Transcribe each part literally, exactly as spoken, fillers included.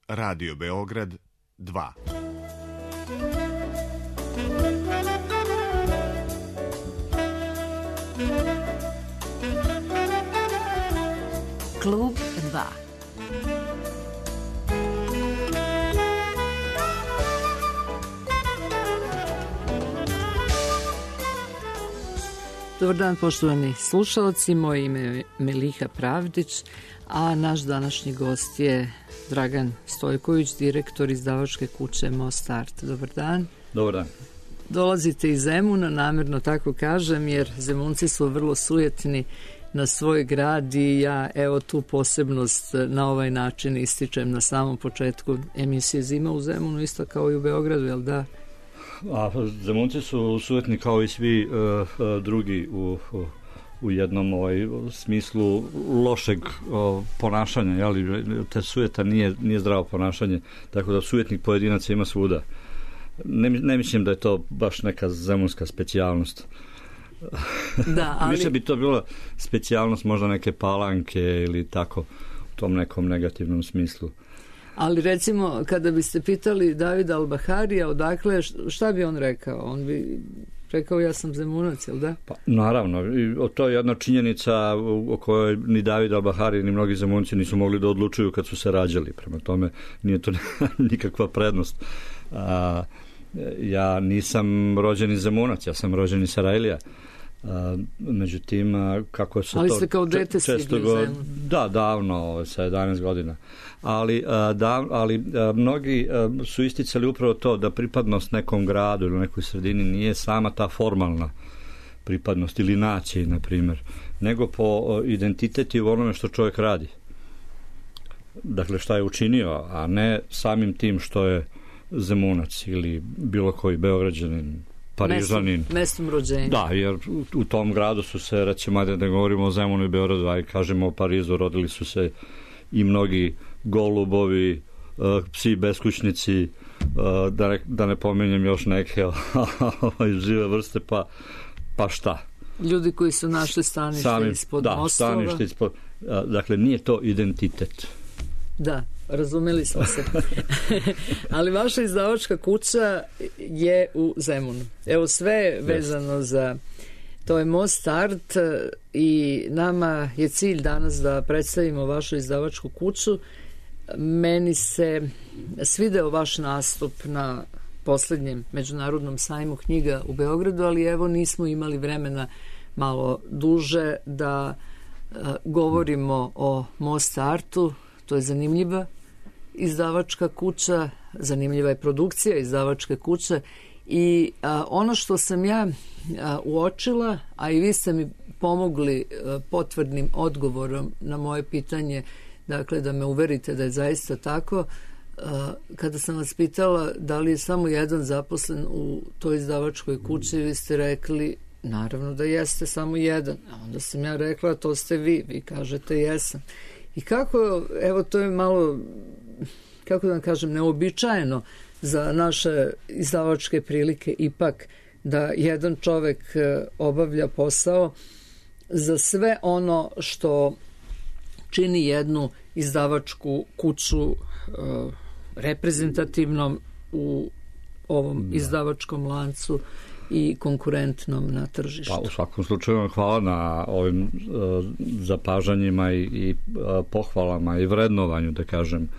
Radio Beograd dva. Klub dva. Dobar dan, poštovani slušalci, moje ime je Meliha Pravdić, a naš današnji gost je Dragan Stojković, direktor izdavačke kuće Most Art. Dobar dan. Dobar dan. Dolazite iz Zemuna, namjerno tako kažem, jer Zemunci su vrlo sujetni na svoj grad i ja evo tu posebnost na ovaj način ističem na samom početku emisije Zima u Zemunu, isto kao i u Beogradu, jel da? A Zemunci su sujetni kao i svi uh, uh, drugi u, u, u jednom ovaj, smislu lošeg uh, ponašanja, jeli? Te sujeta nije, nije zdravo ponašanje, tako da sujetnih pojedinaca ima svuda. Ne, ne mislim da je to baš neka zemunska specijalnost. Da, ali... Više bi to bilo specijalnost možda neke Palanke ili tako, u tom nekom negativnom smislu. Ali recimo, kada biste pitali Davida Al-Baharija odakle, šta bi on rekao? On bi rekao ja sam Zemunac, jel da? Pa, naravno, i to je jedna činjenica o kojoj ni David Al-Bahari ni mnogi Zemunci nisu mogli da odlučuju kad su se rađali. Prema tome, nije to nikakva prednost. A, ja nisam rođeni Zemunac, ja sam rođeni Sarajlija. Uh, međutim, kako se ali to... Ali ste kao dete često go, Da, davno, sa jedanaest godina. Ali, uh, da, ali uh, mnogi uh, su isticali upravo to da pripadnost nekom gradu ili nekoj sredini nije sama ta formalna pripadnost ili naciji, na primjer, nego po uh, identiteti u onome što čovjek radi. Dakle, šta je učinio, a ne samim tim što je Zemunac ili bilo koji Beograđanin, Parižanin. Mestom rođenja. Da, jer u, u tom gradu su se, recimo, da ne govorimo o Zemunu i Beogradu, a i kažemo o Parizu, rodili su se i mnogi golubovi, uh, psi beskućnici, uh, da, ne, da ne pominjem još neke žive vrste, pa, pa šta? Ljudi koji su našli stanište Sami, ispod da, mostova. Da, stanište ispod, uh, dakle, nije to identitet. Da, razumeli smo se. Ali vaša izdavačka kuća je u Zemunu. Evo sve vezano za to je Most Art i nama je cilj danas da predstavimo vašu izdavačku kuću. Meni se svideo vaš nastup na posljednjem međunarodnom sajmu knjiga u Beogradu, ali evo nismo imali vremena malo duže da uh, govorimo o Most Artu. To je zanimljiva izdavačka kuća, zanimljiva je produkcija izdavačke kuće i a, ono što sam ja a, uočila, a i vi ste mi pomogli a, potvrdnim odgovorom na moje pitanje, dakle da me uverite da je zaista tako, a, kada sam vas pitala da li je samo jedan zaposlen u toj izdavačkoj kući, vi ste rekli naravno da jeste samo jedan, a onda sam ja rekla to ste vi, vi kažete jesam. I kako, evo to je malo, kako da vam kažem, neobičajeno za naše izdavačke prilike ipak da jedan čovek obavlja posao za sve ono što čini jednu izdavačku kuću uh, reprezentativnom u ovom da. izdavačkom lancu i konkurentnom na tržištu. Pa u svakom slučaju hvala na ovim uh, zapažanjima i, i uh, pohvalama i vrednovanju, da kažem,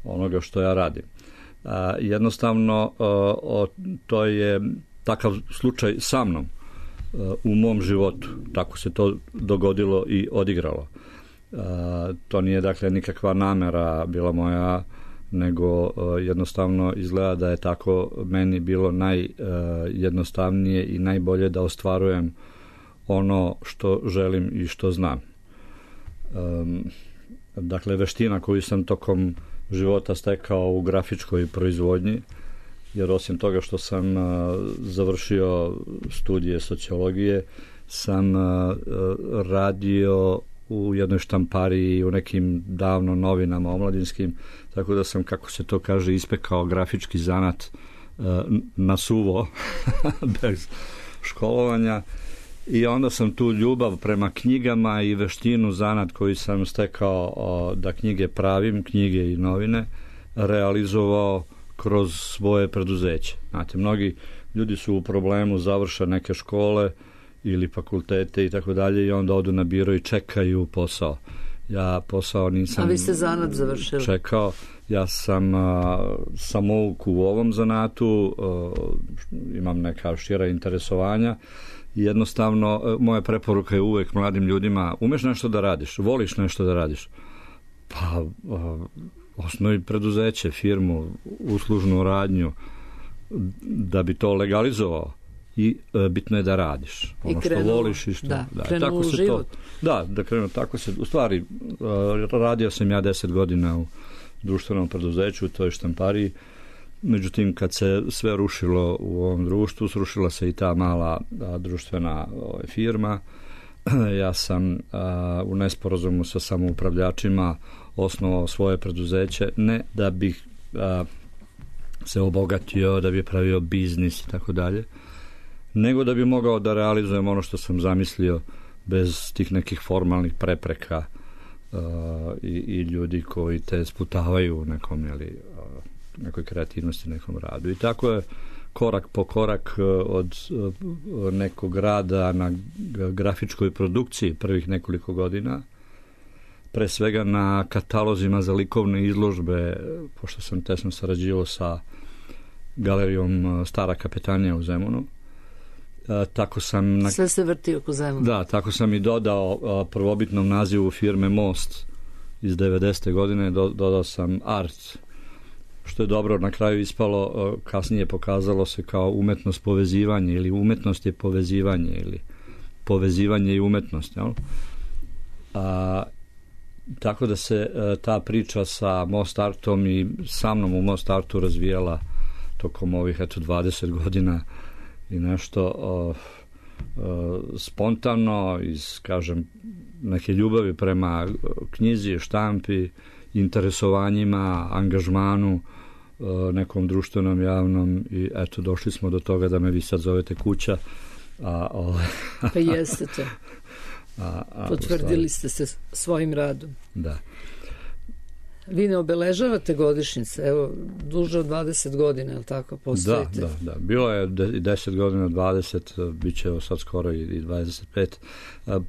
onoga što ja radim. Uh, jednostavno uh, o, to je takav slučaj sa mnom uh, u mom životu. Tako se to dogodilo i odigralo. Uh, to nije dakle nikakva namera bila moja, nego uh, jednostavno izgleda da je tako meni bilo najjednostavnije uh, i najbolje da ostvarujem ono što želim i što znam. Um, dakle, veština koju sam tokom života stekao u grafičkoj proizvodnji, jer osim toga što sam uh, završio studije sociologije, sam uh, radio u jednoj štampariji, u nekim davno novinama omladinskim, tako da sam, kako se to kaže, ispekao grafički zanat uh, na suvo, bez školovanja. I onda sam tu ljubav prema knjigama i veštinu, zanat koji sam stekao o, da knjige pravim, knjige i novine, realizovao kroz svoje preduzeće. Znate, mnogi ljudi su u problemu, završe neke škole ili fakultete i tako dalje i onda odu na biro i čekaju posao. Ja posao nisam... A vi ste zanat završili? Čekao. Ja sam a, samouk u ovom zanatu, a, imam neka šira interesovanja. Jednostavno, a, moja preporuka je uvek mladim ljudima, umeš nešto da radiš, voliš nešto da radiš, pa a, osnovi preduzeće, firmu, uslužnu radnju, da bi to legalizovao. I e, bitno je da radiš ono što voliš i što da, da krenu tako u se život. To, da, da krenu tako se u stvari e, radio sam ja deset godina u društvenom preduzeću u toj štampariji. Međutim, kad se sve rušilo u ovom društvu, srušila se i ta mala a, društvena o, firma. Ja sam a, u nesporazumu sa samoupravljačima osnovao svoje preduzeće, ne da bih a, se obogatio, da bi pravio biznis i tako dalje, nego da bi mogao da realizujem ono što sam zamislio bez tih nekih formalnih prepreka uh, i, i ljudi koji te sputavaju u nekom, jeli, uh, nekoj kreativnosti, nekom radu. I tako je korak po korak uh, od uh, nekog rada na grafičkoj produkciji prvih nekoliko godina, pre svega na katalozima za likovne izložbe, pošto sam tesno sarađivao sa galerijom Stara kapetanija u Zemunu. Uh, tako sam na... Sve se vrti oko Zemuna. Da, tako sam i dodao uh, prvobitnom nazivu firme Most iz devedesete godine, do, dodao sam Art, što je dobro na kraju ispalo, uh, kasnije pokazalo se kao umetnost povezivanje ili umetnost je povezivanje ili povezivanje i umetnost. Jel? A, tako da se uh, ta priča sa Most Artom i sa mnom u Most Artu razvijala tokom ovih eto dvadeset godina i nešto uh, uh, spontano iz, kažem, neke ljubavi prema knjizi, štampi, interesovanjima, angažmanu uh, nekom društvenom, javnom i eto došli smo do toga da me vi sad zovete kuća. A, o, pa jeste to. A, a, potvrdili ste se svojim radom. Da. Vi ne obeležavate godišnjice, evo, duže od dvadeset godina, je li tako, postojite? Da, da, da. Bilo je deset godina, dvadeset, bit će sad skoro i dvadeset pet.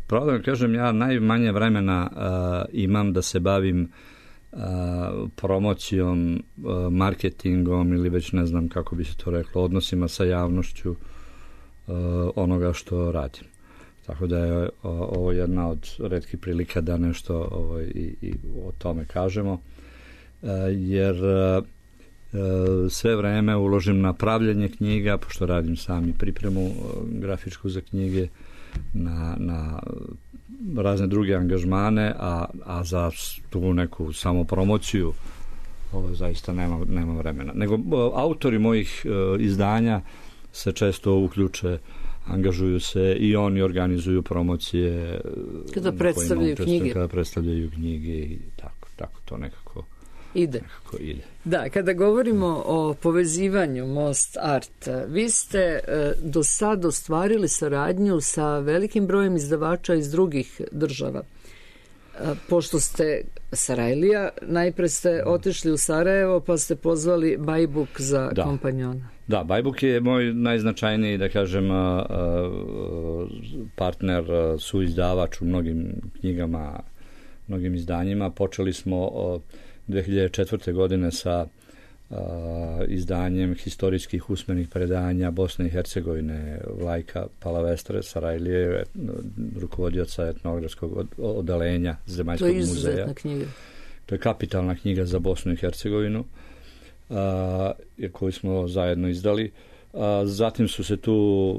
Pravo da kažem, ja najmanje vremena uh, imam da se bavim uh, promocijom, uh, marketingom ili već ne znam kako bi se to reklo, odnosima sa javnošću uh, onoga što radim. Tako da je ovo jedna od retkih prilika da nešto ovo, i, i o tome kažemo, jer sve vreme uložim na pravljenje knjiga, pošto radim sami pripremu grafičku za knjige, na, na razne druge angažmane, a, a za tu neku samopromociju ovo zaista nema, nema vremena. Nego autori mojih izdanja se često uključe, angažuju se i oni organizuju promocije kada predstavljaju knjige kada predstavljaju knjige i tako, tako to nekako ide. nekako ide. Da, kada govorimo o povezivanju Most Art, vi ste e, do sad ostvarili saradnju sa velikim brojem izdavača iz drugih država. E, pošto ste Sarajlija, najpre ste otišli u Sarajevo pa ste pozvali Bajbuk za da. kompanjona. Da, Bajbuk je moj najznačajniji, da kažem, partner, suizdavač u mnogim knjigama, mnogim izdanjima. Počeli smo dve hiljade četvrte. godine sa izdanjem historijskih usmenih predanja Bosne i Hercegovine Vlajka Palavestre Sarajlije, rukovodioca etnografskog odeljenja Zemaljskog muzeja. To je izuzetna knjiga. To je kapitalna knjiga za Bosnu i Hercegovinu, Uh, koju smo zajedno izdali. Uh, zatim su se tu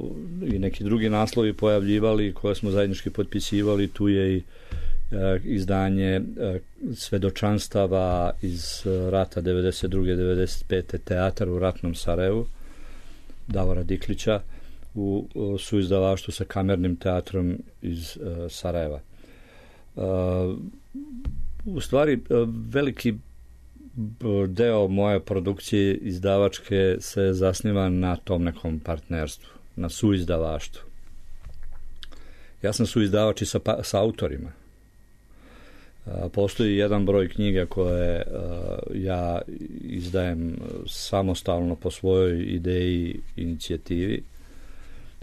i neki drugi naslovi pojavljivali koje smo zajednički potpisivali. Tu je i uh, izdanje uh, svedočanstava iz uh, rata devedeset druge devedeset pete. Teatar u ratnom Sarajevu Davora Diklića u, u suizdavaštvu sa kamernim teatrom iz uh, Sarajeva. Uh, u stvari uh, veliki deo moje produkcije izdavačke se zasniva na tom nekom partnerstvu, na suizdavaštvu. Ja sam suizdavač i sa, sa autorima. Postoji jedan broj knjiga koje ja izdajem samostalno po svojoj ideji, inicijativi,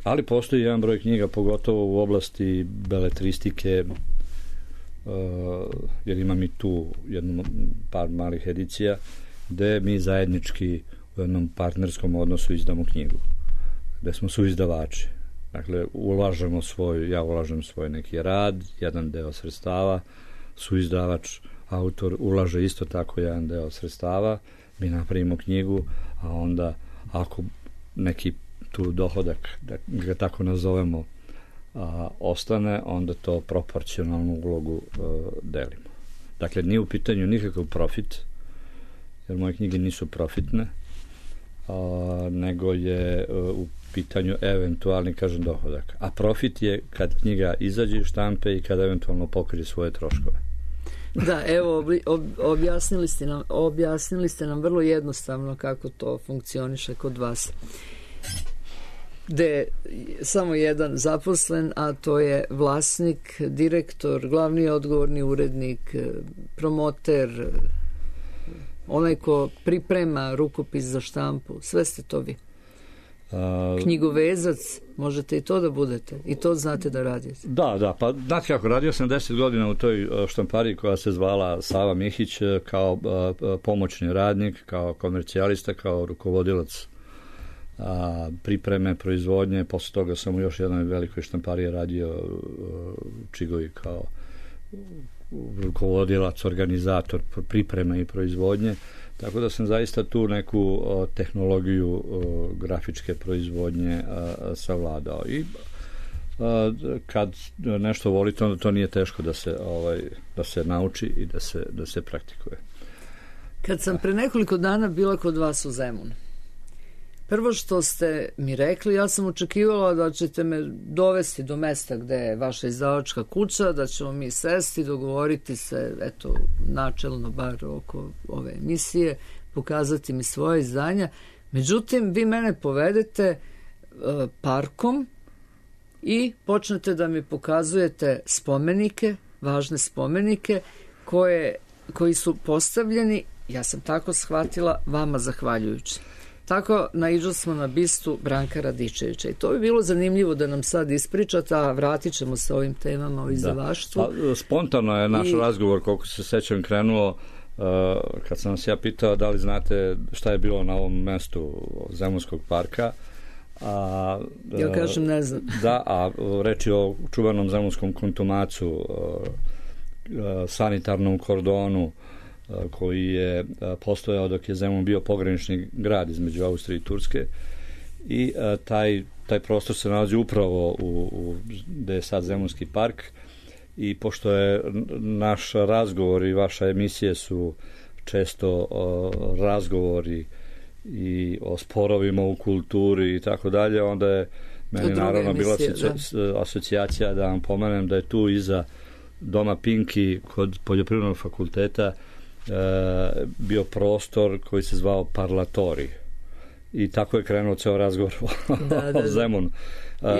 ali postoji jedan broj knjiga, pogotovo u oblasti beletristike, jer imam i tu jednu par malih edicija, gde mi zajednički u jednom partnerskom odnosu izdamo knjigu, gde smo suizdavači. Dakle, ulažemo svoj, ja ulažem svoj neki rad, jedan deo sredstava, suizdavač, autor ulaže isto tako jedan deo sredstava, mi napravimo knjigu, a onda ako neki tu dohodak, da ga tako nazovemo, a, ostane, onda to proporcionalnu ulogu a, delimo. Dakle, nije u pitanju nikakav profit, jer moje knjige nisu profitne, a, nego je a, u pitanju eventualni, kažem, dohodak. A profit je kad knjiga izađe iz štampe i kad eventualno pokrije svoje troškove. Da, evo, ob, objasnili, ste nam, objasnili ste nam vrlo jednostavno kako to funkcioniše kod vas. Gde je samo jedan zaposlen, a to je vlasnik, direktor, glavni odgovorni urednik, promoter, onaj ko priprema rukopis za štampu. Sve ste to vi. Knjigovezac, možete i to da budete, i to znate da radite. Da, da, pa znate kako, radio sam deset godina u toj štampariji koja se zvala Sava Mihić, kao pomoćni radnik, kao komercijalista, kao rukovodilac a, pripreme, proizvodnje. Posle toga sam u još jednoj velikoj štampariji radio u Čigovi kao rukovodilac, organizator pripreme i proizvodnje. Tako da sam zaista tu neku o, tehnologiju o, grafičke proizvodnje a, a, savladao. I a, kad nešto volite, onda to nije teško da se, ovaj, da se nauči i da se, da se praktikuje. Kad sam pre nekoliko dana bila kod vas u Zemunu, prvo što ste mi rekli, ja sam očekivala da ćete me dovesti do mesta gde je vaša izdavačka kuća, da ćemo mi sesti, dogovoriti se, eto, načelno bar oko ove emisije, pokazati mi svoje izdanja. Međutim, vi mene povedete uh, parkom i počnete da mi pokazujete spomenike, važne spomenike, koje, koji su postavljeni, ja sam tako shvatila, vama zahvaljujući. Tako naiđo smo na bistu Branka Radičevića i to bi bilo zanimljivo da nam sad ispričate, a vratit ćemo se ovim temama o izdavaštvu. Da. Spontano je naš I... razgovor, koliko se sećam, krenuo uh, kad sam vas ja pitao da li znate šta je bilo na ovom mestu Zemunskog parka. A, ja kažem ne znam. Da, a reč je o čuvanom zemunskom kontumacu, uh, uh, sanitarnom kordonu, koji je postojao dok je Zemun bio pogranični grad između Austrije i Turske i a, taj, taj prostor se nalazi upravo u, u gde je sad Zemunski park i pošto je naš razgovor i vaša emisije su često o, razgovori i o sporovima u kulturi i tako dalje, onda je meni naravno bila da. asocijacija da vam pomenem da je tu iza Doma Pinki kod Poljoprivrednog fakulteta E, bio prostor koji se zvao Parlatori i tako je krenuo ceo razgovor o, da, da, da. o Zemunu.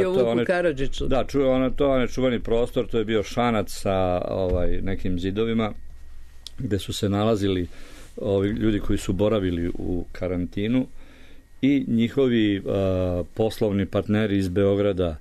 I o Vuku Karadžiću. Da, ču, ono, to je čuveni prostor, to je bio šanac sa ovaj, nekim zidovima gde su se nalazili ovi ljudi koji su boravili u karantinu i njihovi a, poslovni partneri iz Beograda,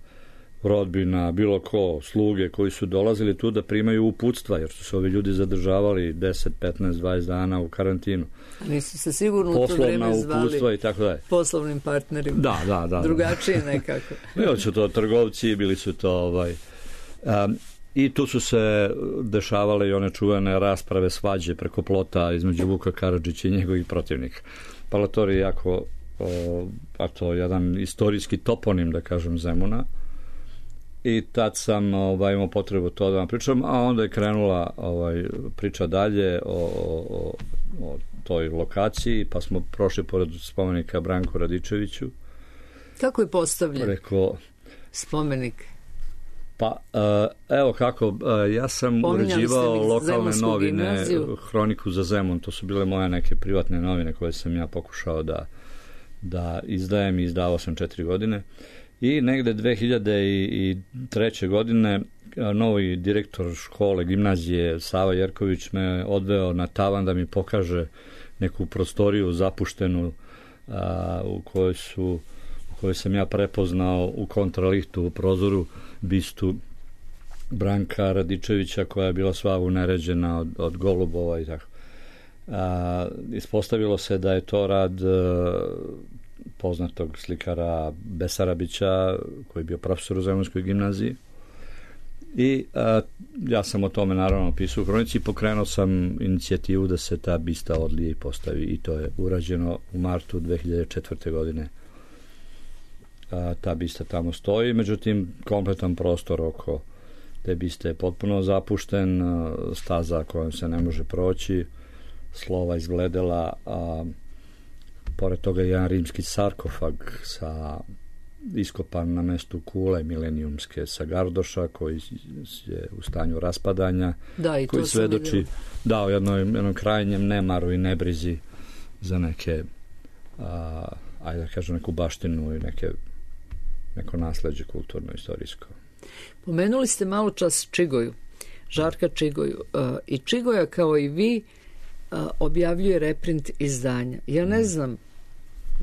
rodbina, bilo ko, sluge koji su dolazili tu da primaju uputstva, jer su se ovi ljudi zadržavali deset, petnaest, dvadeset dana u karantinu. A nisu se sigurno u to vreme zvali i tako dalje. Poslovnim partnerima. Da, da, da. Drugačije nekako. Bili su to trgovci, bili su to ovaj... Um, i tu su se dešavale i one čuvene rasprave, svađe preko plota između Vuka Karadžića i njegovih protivnika. Parlatori je jako o, a to jedan istorijski toponim, da kažem, Zemuna. I tad sam ovaj, imao potrebu to da vam pričam, a onda je krenula ovaj, priča dalje o, o, o toj lokaciji, pa smo prošli pored spomenika Branku Radičeviću. Kako je postavljen Rekao, spomenik? Pa, evo kako, ja sam uređivao lokalne novine, gimnaziju. Hroniku za Zemun, to su bile moje neke privatne novine koje sam ja pokušao da, da izdajem i izdavao sam četiri godine. I negde dve hiljade treće godine novi direktor škole, gimnazije Sava Jerković me odveo na tavan da mi pokaže neku prostoriju zapuštenu a, u kojoj su u kojoj sam ja prepoznao u kontralihtu u prozoru bistu Branka Radičevića koja je bila sva uneređena od, od golubova i tako. A, ispostavilo se da je to rad a, poznatog slikara Besarabića koji je bio profesor u Zemunskoj gimnaziji i a, ja sam o tome naravno pisao u kronici i pokrenuo sam inicijativu da se ta bista odlije i postavi i to je urađeno u martu dve hiljade četvrte. godine. A, ta bista tamo stoji, međutim kompletan prostor oko te biste je potpuno zapušten, staza kojom se ne može proći, slova izgledela, a pored toga je jedan rimski sarkofag sa iskopan na mestu kule milenijumske sa Gardoša koji je u stanju raspadanja, da, i koji svedoči da, o jednom, jednom krajnjem nemaru i nebrizi za neke a, ajde da kažem neku baštinu i neke, neko nasleđe kulturno-istorijsko. Pomenuli ste malo čas Čigoju, Žarka Čigoju uh, i Čigoja kao i vi uh, objavljuje reprint izdanja. Ja ne znam,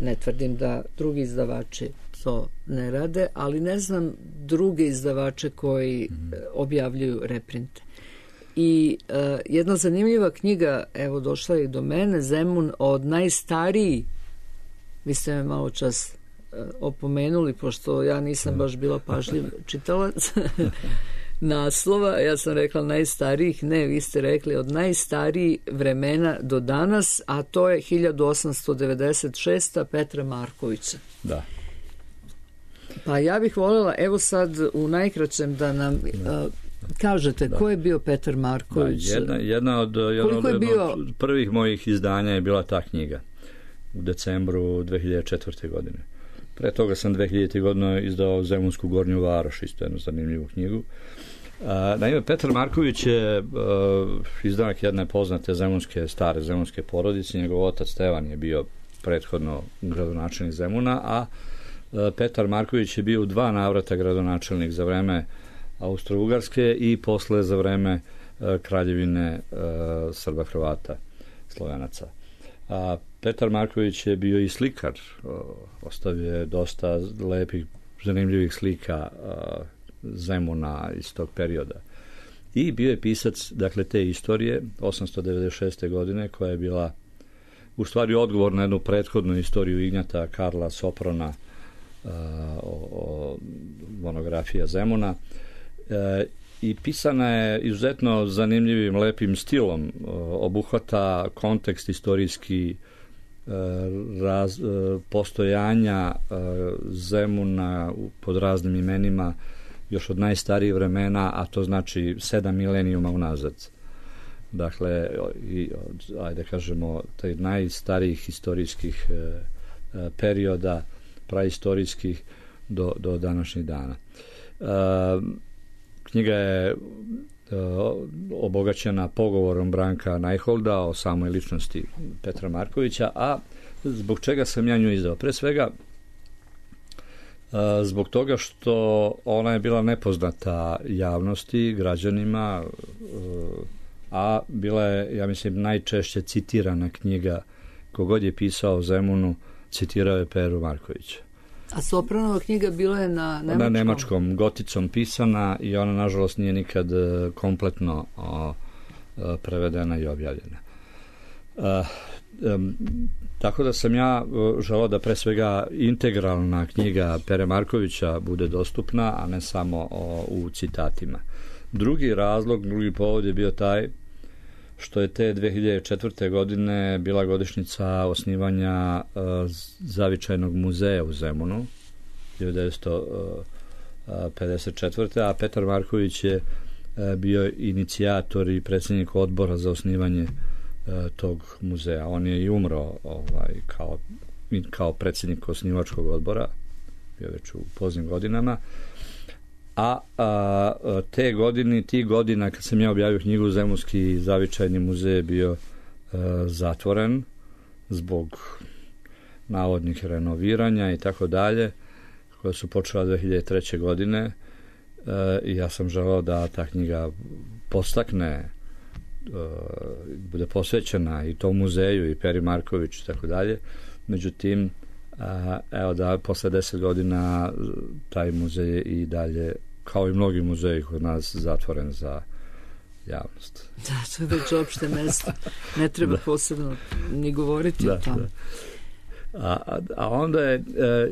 ne tvrdim da drugi izdavači to ne rade, ali ne znam druge izdavače koji uh, objavljuju reprinte. I uh, jedna zanimljiva knjiga, evo došla je i do mene, Zemun od najstariji, vi ste me malo čas opomenuli, pošto ja nisam baš bila pažljiv čitalac naslova, ja sam rekla najstarijih, ne, vi ste rekli od najstarijih vremena do danas, a to je hiljadu osamsto devedeset šesta. Petra Markovića. Da. Pa ja bih voljela, evo sad u najkraćem da nam uh, kažete da. Ko je bio Petar Marković? Da, jedna, jedna od, jedna od, bio... od prvih mojih izdanja je bila ta knjiga u decembru dve hiljade četvrte. godine. Pre toga sam dve hiljadite. godine izdao Zemunsku Gornju Varoš, isto jednu zanimljivu knjigu. A, naime, Petar Marković je a, izdanak jedne poznate zemunske, stare zemunske porodice. Njegov otac Stevan je bio prethodno gradonačelnik Zemuna, a, a Petar Marković je bio u dva navrata gradonačelnik za vreme Austro-Ugarske i posle za vreme a, kraljevine a, Srba, Hrvata, Slovenaca. A Petar Marković je bio i slikar, ostavio je dosta lepih, zanimljivih slika Zemuna iz tog perioda. I bio je pisac, dakle, te istorije, osamsto devedeset šeste. godine, koja je bila u stvari odgovor na jednu prethodnu istoriju Ignjata Karla Soprona, o, o monografija Zemuna. E, I pisana je izuzetno zanimljivim, lepim stilom, obuhvata kontekst istorijski raz, postojanja Zemuna pod raznim imenima još od najstarijih vremena, a to znači sedam milenijuma unazad. Dakle, i, ajde kažemo, taj najstarijih historijskih perioda, praistorijskih do, do današnjih dana. Knjiga je obogaćena pogovorom Branka Najholda o samoj ličnosti Petra Markovića, a zbog čega sam ja nju izdao? Pre svega zbog toga što ona je bila nepoznata javnosti, građanima, a bila je, ja mislim, najčešće citirana knjiga. Kogod je pisao o Zemunu, citirao je Peru Markovića. A Sopranova knjiga bila je na nemačkom? Na nemačkom, goticom pisana i ona, nažalost, nije nikad kompletno o, prevedena i objavljena. E, um, tako da sam ja želeo da pre svega integralna knjiga Pere Markovića bude dostupna, a ne samo o, u citatima. Drugi razlog, drugi povod je bio taj što je te dve hiljade četvrte. godine bila godišnjica osnivanja uh, Zavičajnog muzeja u Zemunu, hiljadu devetsto pedeset četvrte. a Petar Marković je uh, bio inicijator i predsjednik odbora za osnivanje uh, tog muzeja. On je i umro ovaj, kao, kao predsjednik osnivačkog odbora, bio već u poznim godinama. A, a te godine, ti godina kad sam ja objavio knjigu, Zemunski zavičajni muzej je bio a, zatvoren zbog navodnih renoviranja i tako dalje, koje su počela dve hiljade treće. godine. i ja sam želeo da ta knjiga postakne, bude posvećena i tom muzeju i Peri Marković i tako dalje. Međutim, evo da posle deset godina taj muzej je i dalje, kao i mnogi muzeji kod nas, zatvoren za javnost. Da, to je već opšte mesto. Ne treba da. posebno ni govoriti da, o tome. Da. A, a onda je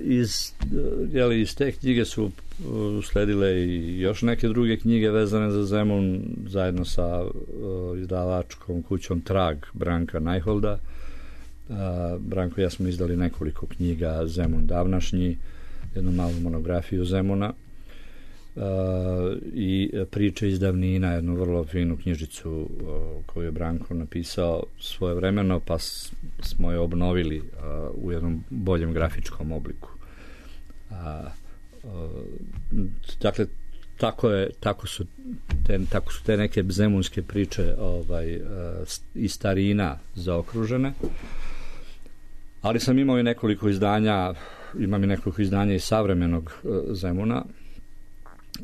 iz, jeli, iz te knjige su usledile i još neke druge knjige vezane za Zemun, zajedno sa izdavačkom kućom Trag Branka Najholda. Branko i ja smo izdali nekoliko knjiga Zemun davnašnji, jednu malu monografiju Zemuna i priče iz davnina, jednu vrlo finu knjižicu koju je Branko napisao svojevremeno, pa smo je obnovili u jednom boljem grafičkom obliku. Dakle, tako je, tako su te, tako su te neke zemunske priče ovaj, i starina zaokružene. Ali sam imao i nekoliko izdanja, imam i nekoliko izdanja iz savremenog Zemuna.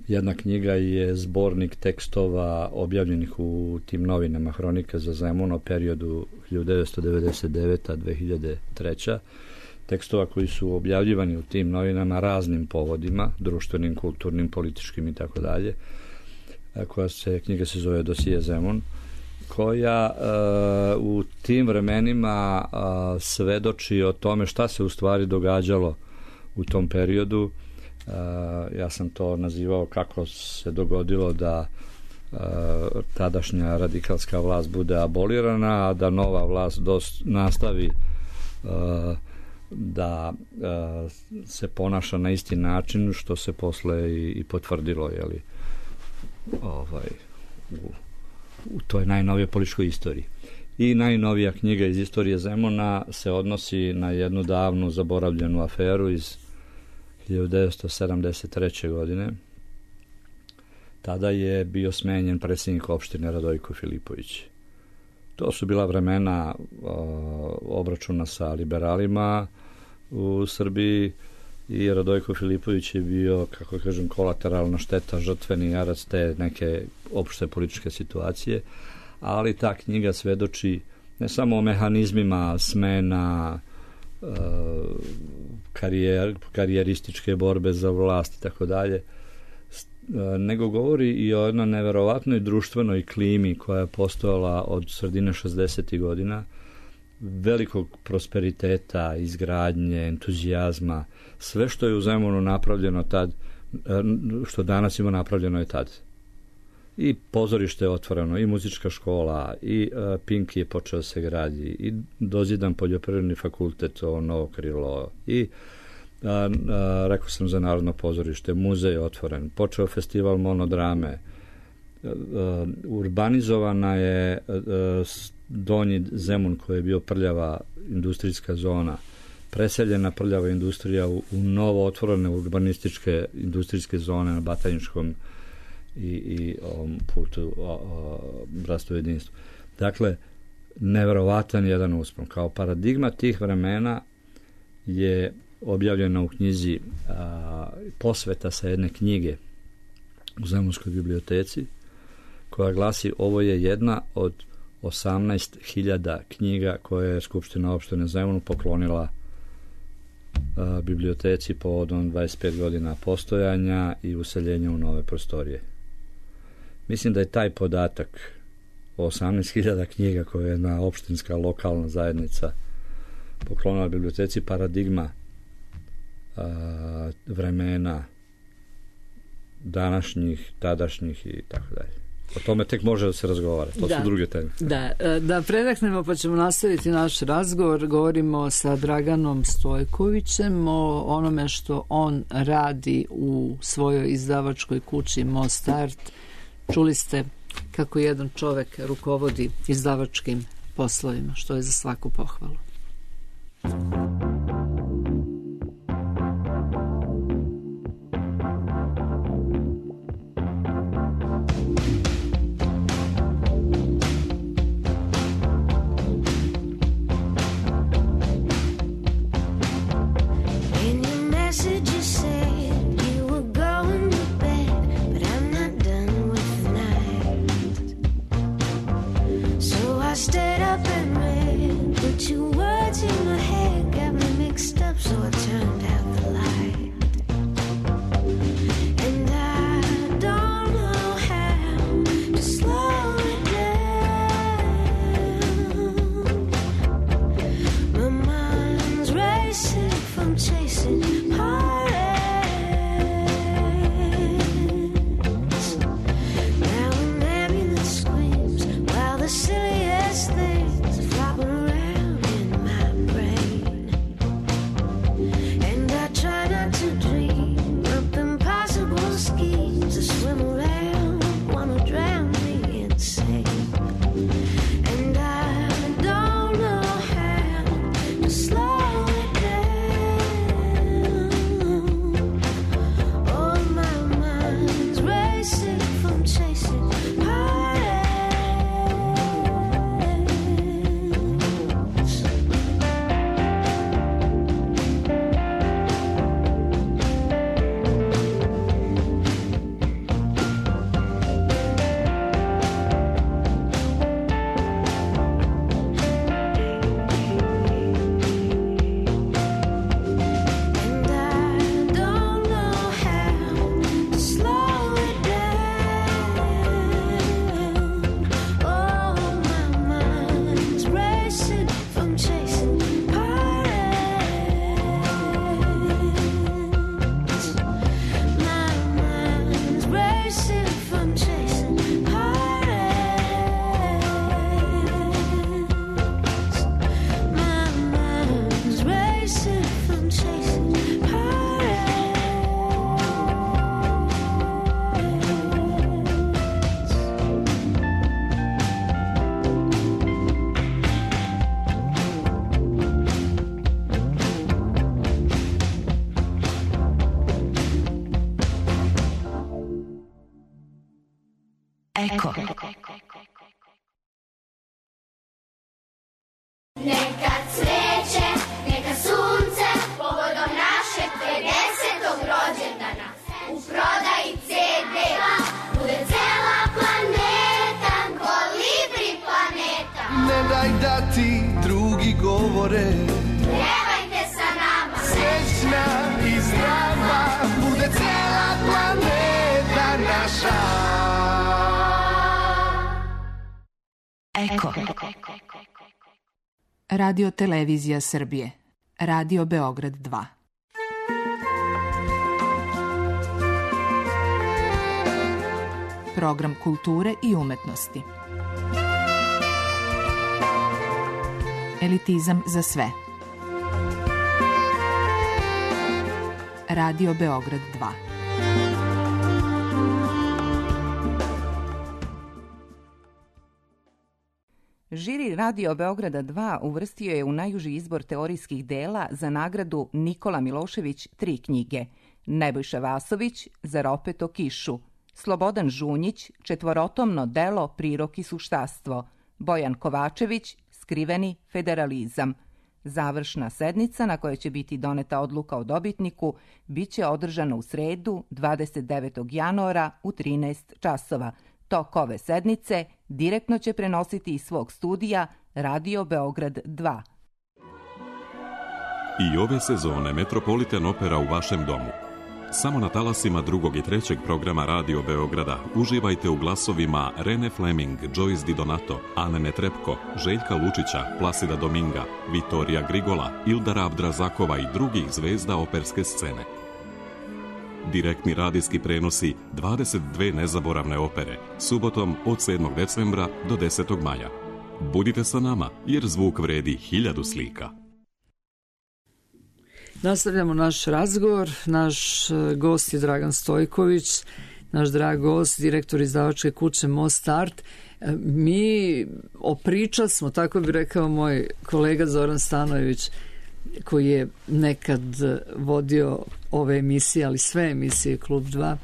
Jedna knjiga je zbornik tekstova objavljenih u tim novinama Hronika za Zemun o periodu hiljadu devetsto devedeset deveta do dve hiljade treće. Tekstova koji su objavljivani u tim novinama raznim povodima, društvenim, kulturnim, političkim i tako dalje. Koja se, knjiga se zove Dosije Zemun, koja uh, u tim vremenima uh, svedoči o tome šta se u stvari događalo u tom periodu. Uh, ja sam to nazivao kako se dogodilo da uh, tadašnja radikalska vlast bude abolirana, a da nova vlast dos, nastavi uh, da uh, se ponaša na isti način, što se posle i, i potvrdilo, jeli, ovaj, u, u toj najnovije političkoj istoriji. I najnovija knjiga iz istorije Zemuna se odnosi na jednu davnu zaboravljenu aferu iz hiljadu devetsto sedamdeset treće. godine. Tada je bio smenjen predsjednik opštine Radojko Filipović. To su bila vremena o, obračuna sa liberalima u Srbiji i Radojko Filipović je bio, kako kažem, kolateralna šteta, žrtveni jarac te neke opšte političke situacije, ali ta knjiga svedoči ne samo o mehanizmima smena, karijer, karijerističke borbe za vlast i tako dalje, nego govori i o jednoj neverovatnoj društvenoj klimi koja je postojala od sredine šezdesetih godina, velikog prosperiteta, izgradnje, entuzijazma. Sve što je u Zemunu napravljeno tad, što danas ima napravljeno je tad. I pozorište je otvoreno, i muzička škola, i uh, Pink je počeo se gradi, i dozidan poljoprivredni fakultet, ovo novo krilo, i uh, uh, rekao sam za Narodno pozorište, muzej je otvoren, počeo festival monodrame, uh, uh, urbanizovana je uh, Donji Zemun koji je bio prljava industrijska zona, preseljena prljava industrija u, u novo otvorene urbanističke industrijske zone na Batajničkom i, i ovom putu o, o, bratstvu jedinstvu. Dakle, neverovatan jedan uspon. Kao paradigma tih vremena je objavljena u knjizi a, posveta sa jedne knjige u Zemunskoj biblioteci, koja glasi: ovo je jedna od osamnaest hiljada knjiga koje je Skupština opštine Zemunu poklonila a, biblioteci povodom dvadeset pet godina postojanja i useljenja u nove prostorije. Mislim da je taj podatak o osamnaest hiljada knjiga koje je jedna opštinska lokalna zajednica poklonila biblioteci paradigma a, vremena današnjih, tadašnjih i tako dalje. O tome tek može da se razgovara. To da, su druge teme. Da, da predahnemo pa ćemo nastaviti naš razgovor. Govorimo sa Draganom Stojkovićem o onome što on radi u svojoj izdavačkoj kući Mostart. Čuli ste kako jedan čovek rukovodi izdavačkim poslovima, što je za svaku pohvalu. Message you said you were going to bed, but Eko. Neka cveće, neka sunce, povodom našeg pedesetog rođendana. U prodaji ce de bude cela planeta, kolibri planeta. Ne daj da ti drugi govore, Pjevajte sa nama, srećna i zdrava, bude cela planeta naša. Eko. Radio Televizija Srbije. Radio Beograd dva. Program kulture i umetnosti. Elitizam za sve. Radio Beograd dva. Žiri Radio Beograda dva uvrstio je u najuži izbor teorijskih dela za nagradu Nikola Milošević tri knjige, Nebojša Vasović za Ropet o kišu, Slobodan Žunjić četvorotomno delo Prirok i suštastvo, Bojan Kovačević Skriveni federalizam. Završna sednica na kojoj će biti doneta odluka o dobitniku biće održana u sredu dvadeset devetog januara u trinaest časova. Tok ove sednice direktno će prenositi iz svog studija Radio Beograd dva. I ove sezone Metropolitan Opera u vašem domu. Samo na talasima drugog i trećeg programa Radio Beograda uživajte u glasovima Rene Fleming, Joyce Di Donato, Ane Netrepko, Željka Lučića, Plasida Dominga, Vitorija Grigola, Ildara Abdrazakova i drugih zvezda operske scene. Direktni radijski prenosi dvadeset dve nezaboravne opere, subotom od sedmog decembra do desetog maja. Budite sa nama, jer zvuk vredi hiljadu slika. Nastavljamo naš razgovor. Naš gost je Dragan Stojković, naš drag gost, direktor izdavačke kuće Most Art. Mi opričali smo, tako bi rekao moj kolega Zoran Stanojević, koji je nekad vodio ove emisije, ali sve emisije Klub dva,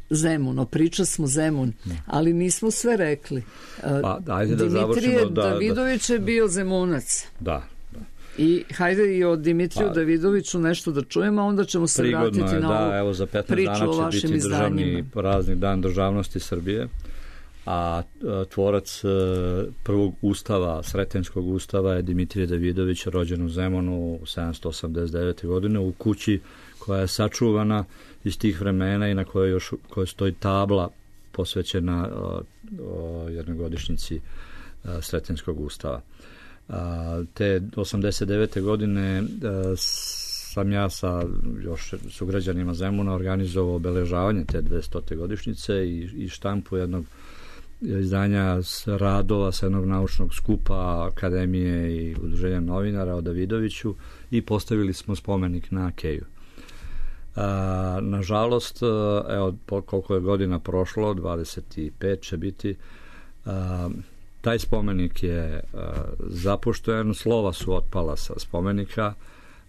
Zemun, opričali smo Zemun, ali nismo sve rekli. Pa, ajde da Dimitrije da, Davidović da, je bio Zemunac. Da. da. I hajde i o Dimitriju pa, Davidoviću nešto da čujemo, a onda ćemo se vratiti je, na da, ovu evo, za priču o vašim će biti izdanjima. Državni praznik Dan državnosti Srbije, a tvorac prvog ustava, Sretenskog ustava je Dimitrije Davidović, rođen u Zemunu sedamsto osamdeset devete. godine u kući koja je sačuvana iz tih vremena i na kojoj još kojoj stoji tabla posvećena o, o jednogodišnjici o, Sretenskog ustava. A, te osamdeset devete. godine a, sam ja sa još sugrađanima Zemuna organizovao obeležavanje te dvestote godišnjice i, i štampu jednog izdanja s radova sa jednog naučnog skupa Akademije i Udruženja novinara o Davidoviću i postavili smo spomenik na Keju. A, nažalost, evo koliko je godina prošlo, dvadeset pet će biti, a, taj spomenik je a, zapušten, slova su otpala sa spomenika.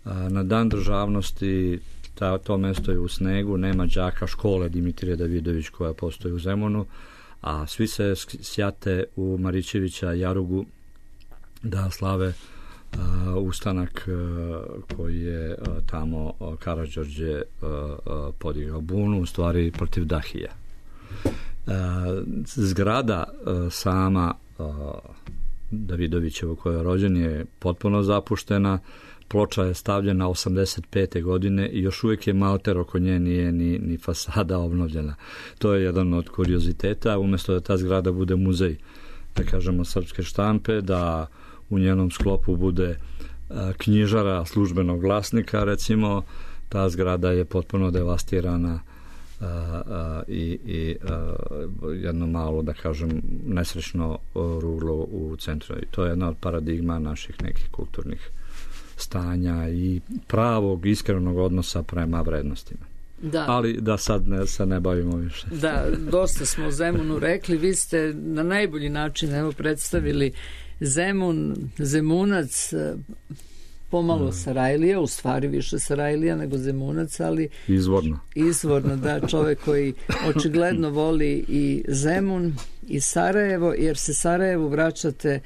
A, na Dan državnosti ta, to mesto je u snegu, nema đaka škole Dimitrije Davidović koja postoji u Zemunu, a svi se sjate u Marićevića Jarugu da slave uh, ustanak uh, koji je uh, tamo uh, Karađorđe uh, uh, podigao bunu, u stvari protiv Dahija. Uh, zgrada uh, sama uh, Davidovićevo koja je rođen je potpuno zapuštena. Ploča je stavljena osamdeset pete. godine i još uvijek je malter oko nje, nije ni, ni fasada obnovljena. To je jedan od kurioziteta. Umjesto da ta zgrada bude muzej, da kažemo, srpske štampe, da u njenom sklopu bude a, knjižara službenog glasnika, recimo, ta zgrada je potpuno devastirana a, a, i, i a, jedno malo, da kažem, nesrećno ruglo u centru. I to je jedna od paradigma naših nekih kulturnih stanja i pravog, iskrenog odnosa prema vrednostima. Da. Ali da sad ne, se ne bavimo više. Da, dosta smo o Zemunu rekli. Vi ste na najbolji način evo predstavili Zemun, Zemunac, pomalo Mm. Sarajlija, u stvari više Sarajlija nego Zemunac, ali Izvorno. izvorno, da, čovjek koji očigledno voli i Zemun i Sarajevo, jer se Sarajevu vraćate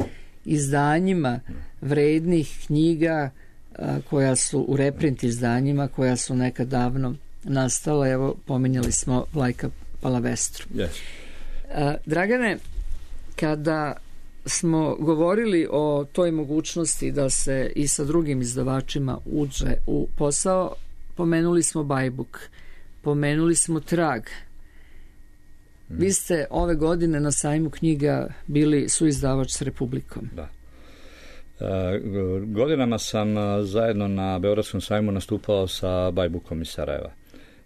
izdanjima vrednih knjiga a, koja su u reprint izdanjima, koja su nekad davno nastala. Evo, pominjali smo Vlajka Palavestru. Yes. A, Dragane, kada smo govorili o toj mogućnosti da se i sa drugim izdavačima uđe u posao, pomenuli smo Bajbuk, pomenuli smo Trag. Vi ste ove godine na sajmu knjiga bili suizdavač s Republikom. Da. E, godinama sam a, zajedno na Beogradskom sajmu nastupao sa Bajbukom iz Sarajeva.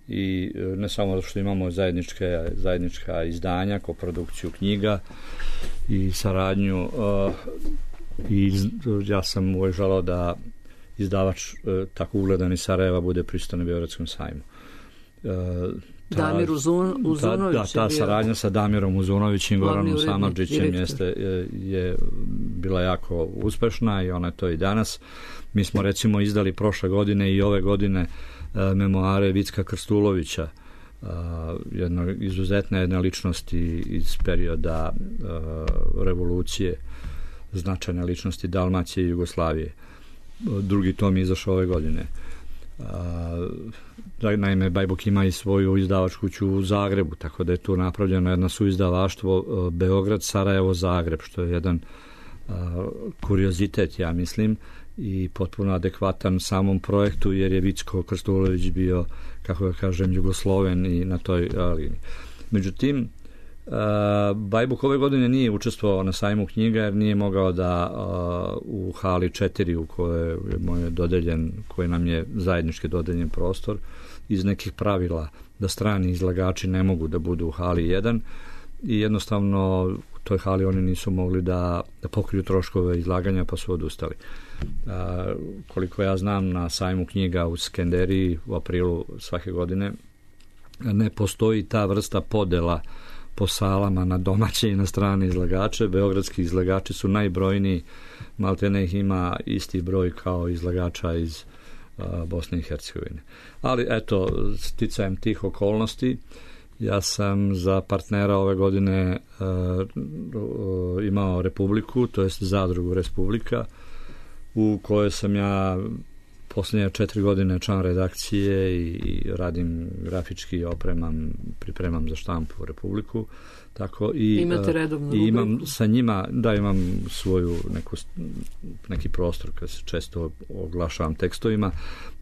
I e, ne samo što imamo zajedničke, zajednička izdanja, koprodukciju knjiga i saradnju, e, i ja sam uvijek želao da izdavač e, tako ugledan iz Sarajeva bude prisutan na Beogradskom sajmu. E, Ta, Damir Uzun, Uzunović ta, da, ta saradnja sa Damirom Uzunovićem i Goranom Samardžićem jeste, je, je bila jako uspešna i ona je to i danas. Mi smo recimo izdali prošle godine i ove godine e, memoare Vicka Krstulovića, e, jedno izuzetne jedne ličnosti iz perioda e, revolucije, značajne ličnosti Dalmacije i Jugoslavije. Drugi tom je izašao ove godine. Uh, naime, Bajbuk ima i svoju izdavačku kuću u Zagrebu, tako da je tu napravljeno jedno suizdavaštvo uh, Beograd, Sarajevo, Zagreb, što je jedan uh, kuriozitet, ja mislim, i potpuno adekvatan samom projektu, jer je Vicko Krstulović bio, kako da kažem, Jugosloven i na toj uh, liniji. Međutim, Uh, Bajbuk ove godine nije učestvovao na sajmu knjiga jer nije mogao da uh, u hali četiri u kojoj je moj dodeljen, koji nam je zajednički dodeljen prostor, iz nekih pravila da strani izlagači ne mogu da budu u hali jedan i jednostavno u toj hali oni nisu mogli da, da pokriju troškove izlaganja, pa su odustali. Uh, koliko ja znam, na sajmu knjiga u Skenderiji u aprilu svake godine ne postoji ta vrsta podela po salama na domaće i na strane izlagače. Beogradski izlagači su najbrojniji, maltene ih ima isti broj kao izlagača iz uh, Bosne i Hercegovine. Ali eto, sticajem tih okolnosti, ja sam za partnera ove godine uh, uh, imao Republiku, to jest Zadrugu Republika, u kojoj sam ja posljednje četiri godine član redakcije i, i radim grafički, opremam, pripremam za štampu Republiku. Tako i imate redovnu rubriku? I imam sa njima, da, imam svoju neku, neki prostor kad se često oglašavam tekstovima,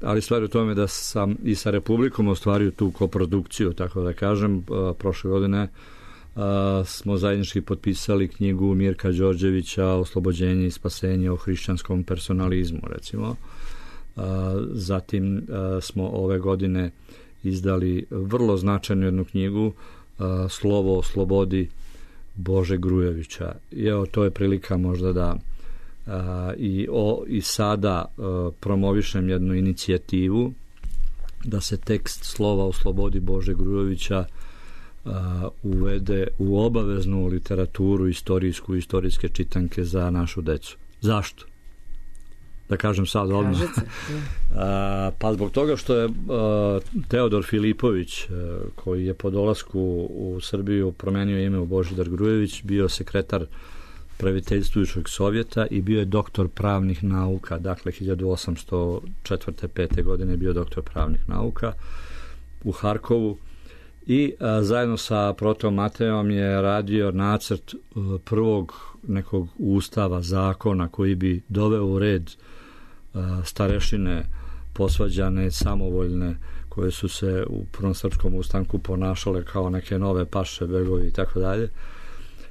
ali stvar je u tome da sam i sa Republikom ostvario tu koprodukciju, tako da kažem, prošle godine a, smo zajednički potpisali knjigu Mirka Đorđevića Oslobođenje i spasenje o hrišćanskom personalizmu, recimo. Uh, zatim uh, smo ove godine izdali vrlo značajnu jednu knjigu, uh, Slovo o slobodi Bože Grujevića. I evo, to je prilika možda da uh, i, o, i sada uh, promovišem jednu inicijativu da se tekst Slova o slobodi Bože Grujevića uh, uvede u obaveznu literaturu istorijsku i istorijske čitanke za našu decu. Zašto? Da kažem sad odmah. A, pa zbog toga što je a, Teodor Filipović, a, koji je po dolasku u Srbiju promenio ime u Božidar Grujević, bio sekretar praviteljstvujućeg sovjeta i bio je doktor pravnih nauka, dakle hiljadu osamsto četvrte pete godine je bio doktor pravnih nauka u Harkovu i a, zajedno sa Protom Mateom je radio nacrt a, prvog nekog ustava, zakona koji bi doveo u red starešine posvađane, samovoljne, koje su se u prvom srpskom ustanku ponašale kao neke nove paše, begovi i tako dalje,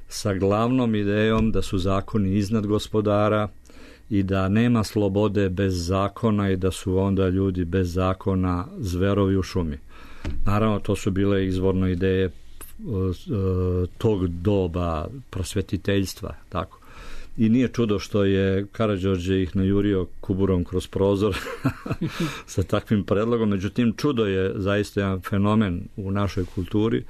sa glavnom idejom da su zakoni iznad gospodara i da nema slobode bez zakona i da su onda ljudi bez zakona zverovi u šumi. Naravno, to su bile izvorno ideje tog doba prosvetiteljstva, tako. I nije čudo što je Karađorđe ih najurio kuburom kroz prozor sa takvim predlogom. Međutim, čudo je zaista jedan fenomen u našoj kulturi,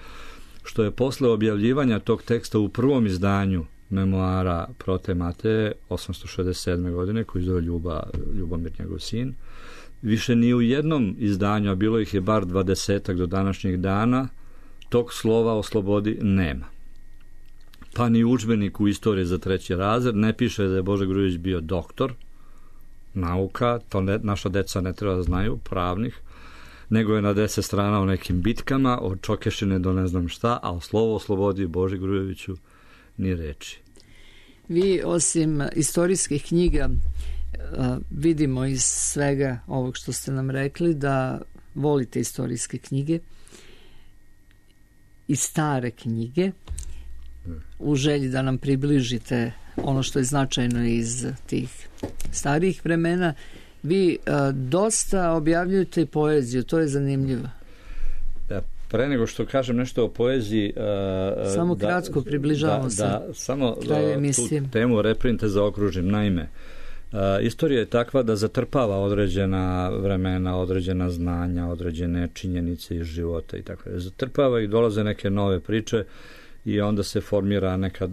što je posle objavljivanja tog teksta u prvom izdanju memoara Prote Mateje osamsto šezdeset sedme. godine, koji zove Ljuba, Ljubomir, njegov sin. Više ni u jednom izdanju, a bilo ih je bar dvadesetak do današnjih dana, tog slova o slobodi nema. Pa ni udžbenik u istoriji za treći razred ne piše da je Boža Grujić bio doktor nauka, to ne, naša deca ne treba da znaju, pravnih, nego je na deset strana o nekim bitkama, od Čokešine do ne znam šta, a o slovo o slobodi Boži Grujeviću ni reči. Vi, osim istorijskih knjiga, vidimo iz svega ovog što ste nam rekli da volite istorijske knjige i stare knjige u želji da nam približite ono što je značajno iz tih starijih vremena. Vi a, dosta objavljujete i poeziju, to je zanimljivo. Da, pre nego što kažem nešto o poeziji, a, samo da, kratko približavamo da, se da, samo kraju emisije. Tu temu reprinte zaokružim. Naime, a, istorija je takva da zatrpava određena vremena, određena znanja, određene činjenice iz života i tako da. Zatrpava i dolaze neke nove priče i onda se formira neka,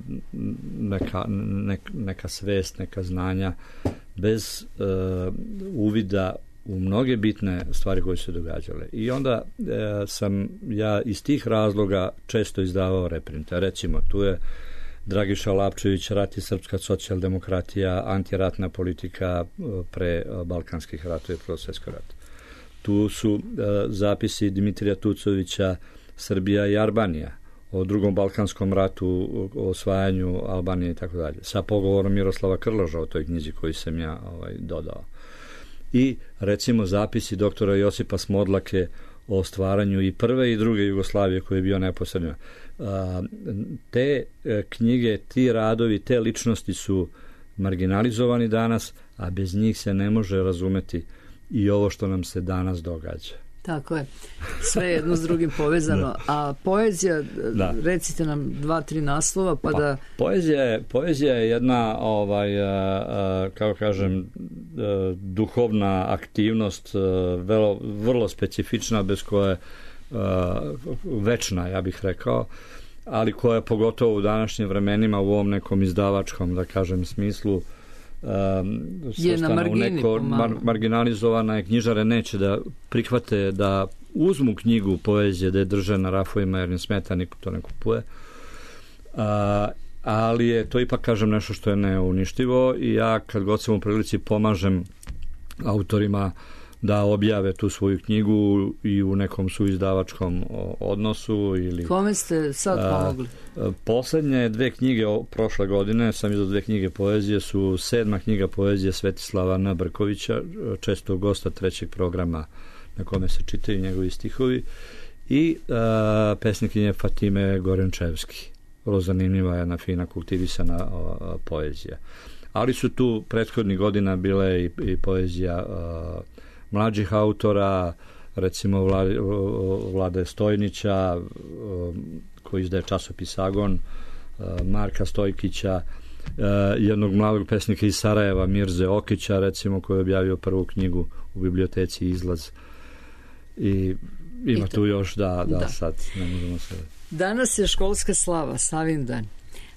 neka, neka, neka svest, neka znanja bez uh, uvida u mnoge bitne stvari koje su se događale. I onda uh, sam ja iz tih razloga često izdavao reprinte. Recimo, tu je Dragiša Lapčević, Rat i srpska socijaldemokratija, antiratna politika uh, pre uh, balkanskih ratova i Prvog svjetskog rata. Tu su uh, zapisi Dimitrija Tucovića, Srbija i Albanija, o drugom balkanskom ratu, o osvajanju Albanije i tako dalje. Sa pogovorom Miroslava Krloža o toj knjizi koju sam ja ovaj, dodao. I recimo zapisi doktora Josipa Smodlake o stvaranju i prve i druge Jugoslavije koji je bio neposredno. Te knjige, ti radovi, te ličnosti su marginalizovani danas, a bez njih se ne može razumeti i ovo što nam se danas događa. Tako je. Sve jedno s drugim povezano. A poezija, da. Recite nam dva, tri naslova, pa, pa da... Poezija je, poezija je jedna, ovaj, a, a, kako kažem, a, duhovna aktivnost, a, vrlo, vrlo specifična, bez koje a, večna, ja bih rekao, ali koja je pogotovo u današnjim vremenima u ovom nekom izdavačkom, da kažem, smislu, Um, je na margini, neko, mar, marginalizovana je, knjižare neće da prihvate da uzmu knjigu poezije da je drže na rafovima jer ne smeta, niko to ne kupuje, a, ali je to ipak, kažem, nešto što je neuništivo i ja kad god sam u prilici pomažem autorima da objave tu svoju knjigu i u nekom suizdavačkom odnosu. Ili, kome ste sad pomogli? A, poslednje dve knjige o, prošle godine sam izdao dve knjige poezije, su sedma knjiga poezije Svetislava N. Brkovića, često gosta trećeg programa na kome se čitaju njegovi stihovi, i a, pesnikinje Fatime Gorenčevski. Vrlo zanimljiva, jedna fina kultivisana a, poezija. Ali su tu prethodnih godina bile i, i poezija a, mlađih autora, recimo Vlade, Vlade Stojnića, koji izdaje časopis Agon, Marka Stojkića, jednog mladog pesnika iz Sarajeva, Mirze Okića, recimo, koji je objavio prvu knjigu u biblioteci Izlaz. I ima I tu još, da, da, da. Sad ne možemo se... Danas je školska slava, Savindan.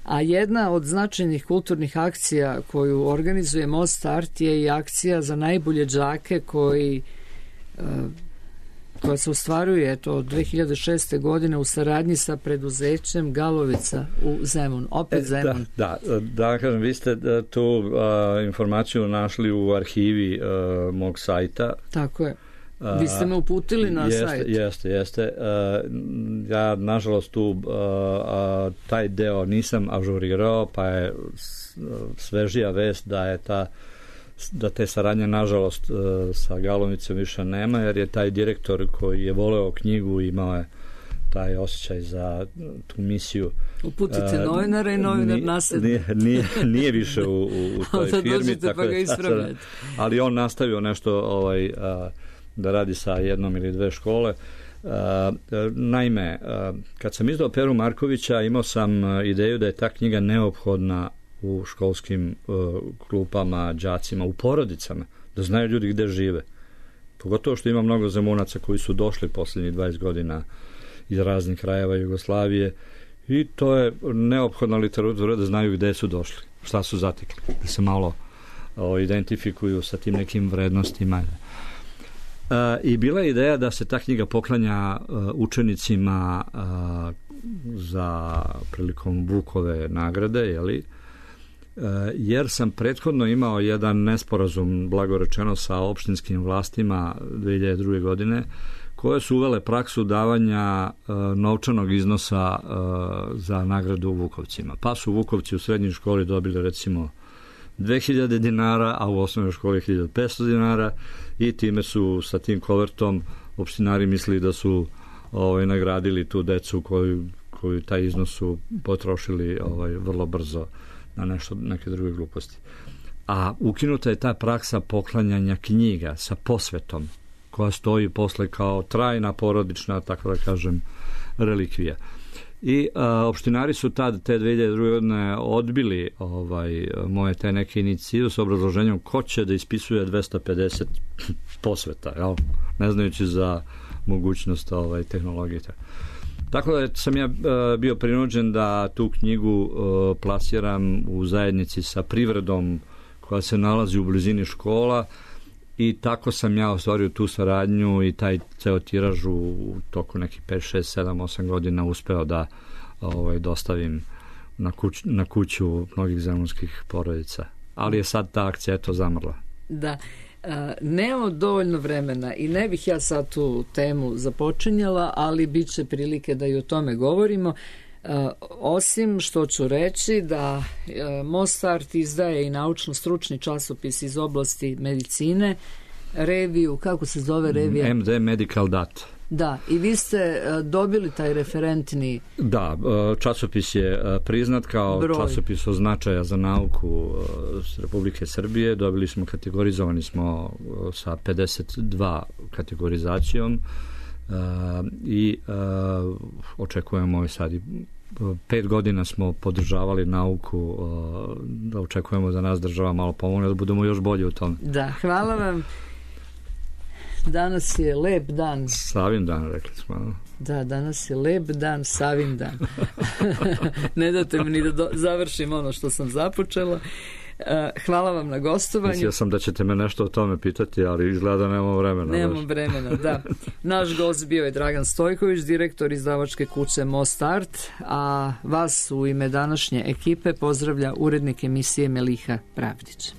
A jedna od značajnih kulturnih akcija koju organizuje Most Art je i akcija za najbolje đake koji, koja se ostvaruje eto, od dve hiljade šeste. godine u saradnji sa preduzećem Galovica u Zemun. Opet e, Zemun. Da, da, da kažem, vi ste tu a, informaciju našli u arhivi a, mog sajta. Tako je. Vi ste me uputili na jeste, sajt. Jeste, jeste. Uh, ja, nažalost, tu uh, uh, taj deo nisam ažurirao, pa je svežija vest da je ta da te saradnje, nažalost, uh, sa Galovicom više nema, jer je taj direktor koji je voleo knjigu imao je taj osjećaj za tu misiju. Uputite uh, novinara i novinar nasljedno. Nije, nije, nije više u, u, u toj da firmi. dođete tako pa ga ispravljate. Ali on nastavio nešto ovaj, uh, da radi sa jednom ili dve škole. Uh, naime, uh, kad sam izdao Peru Markovića, imao sam uh, ideju da je ta knjiga neophodna u školskim uh, klupama, đacima, u porodicama, da znaju ljudi gde žive. Pogotovo što ima mnogo Zemunaca koji su došli posljednjih dvadeset godina iz raznih krajeva Jugoslavije I to je neophodna literatura da znaju gde su došli, šta su zatekli, da se malo o, identifikuju sa tim nekim vrednostima. E, I bila je ideja da se ta knjiga poklanja e, učenicima e, za prilikom Vukove nagrade, jeli? E, jer sam prethodno imao jedan nesporazum, blago rečeno, sa opštinskim vlastima dve hiljade druge. godine, koje su uvele praksu davanja e, novčanog iznosa e, za nagradu Vukovcima. Pa su Vukovci u srednjoj školi dobili recimo dve hiljade dinara, a u osnovnoj školi hiljadu petsto dinara i time su sa tim kovertom opštinari mislili da su ovaj, nagradili tu decu koju, koju taj iznos su potrošili ovaj, vrlo brzo na nešto, neke druge gluposti. A ukinuta je ta praksa poklanjanja knjiga sa posvetom koja stoji posle kao trajna porodična, tako da kažem, relikvija. I a, opštinari su tad, te dve hiljade druge. godine odbili ovaj, moje te neke inicijative s obrazloženjem ko će da ispisuje dvesta pedeset posveta, jel? Ne znajući za mogućnost ovaj, tehnologije. Tako da sam ja a, bio prinuđen da tu knjigu a, plasiram u zajednici sa privredom koja se nalazi u blizini škola. I tako sam ja ostvario tu saradnju i taj ceo tiraž u toku nekih pet, šest, sedam, osam godina uspeo da ovaj, dostavim na, kuć, na kuću mnogih zemunskih porodica. Ali je sad ta akcija eto zamrla. Da, a, nemamo dovoljno vremena i ne bih ja sad tu temu započinjala, ali bit će prilike da i o tome govorimo. Uh, osim što ću reći da uh, Mostart izdaje i naučno-stručni časopis iz oblasti medicine, reviju, kako se zove revija? M D Medical Data. Da, i vi ste uh, dobili taj referentni... Da, uh, časopis je uh, priznat kao broj. Časopis od značaja za nauku uh, s Republike Srbije. Dobili smo, kategorizovani smo uh, sa pedeset dva kategorizacijom uh, i uh, očekujemo i sad i pet godina smo podržavali nauku, da očekujemo da nas država malo pomogne, da budemo još bolji u tom. Da, hvala vam. Danas je lep dan. Savin dan, rekli smo. Da, danas je lep dan, Savin dan. Ne date mi ni da do, završim ono što sam započela. Hvala vam na gostovanju. Mislio sam da ćete me nešto o tome pitati, ali izgleda da nemamo vremena. Nemamo vremena, da. Naš gost bio je Dragan Stojković, direktor izdavačke kuće Mostart, a vas u ime današnje ekipe pozdravlja urednik emisije Meliha Pravdić.